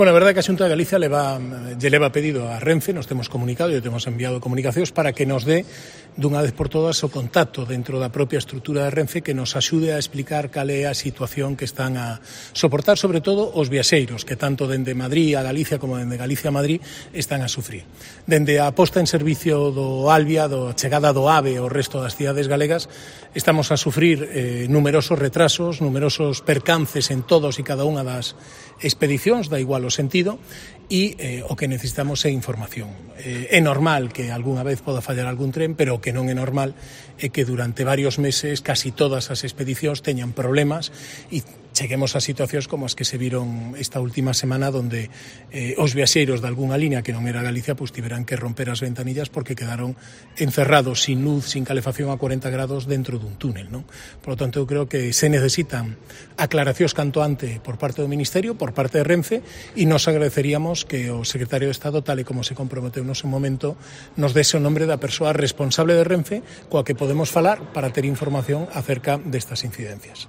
Bueno, a verdade que a Xunta de Galicia lle leva pedido a Renfe, nos temos comunicado e temos enviado comunicacións para que nos dé dunha vez por todas o contacto dentro da propia estrutura de Renfe que nos axude a explicar cal é a situación que están a soportar, sobre todo os viaxeiros que tanto dende Madrid a Galicia como dende Galicia a Madrid están a sufrir. Dende a posta en servicio do Alvia, a chegada do AVE ao resto das cidades galegas, estamos a sufrir numerosos retrasos, numerosos percances en todos e cada unha das expedicións, da igual o sentido, e o que necesitamos é información. É normal que algunha vez poda fallar algún tren, pero o que non é normal é que durante varios meses casi todas as expedicións teñan problemas e cheguemos a situacións como as que se viron esta última semana donde os viaxeiros de algunha línea que non era Galicia pues tiveran que romper as ventanillas porque quedaron encerrados sin luz, sin calefacción a 40 grados dentro dun túnel, non? Por lo tanto, eu creo que se necesitan aclaracións canto ante por parte do Ministerio, por parte de Renfe, e nos agradeceríamos que o secretario de Estado, tal e como se comprometeu no seu momento, nos dese o nombre da persoa responsable de Renfe coa que podemos falar para ter información acerca destas incidencias.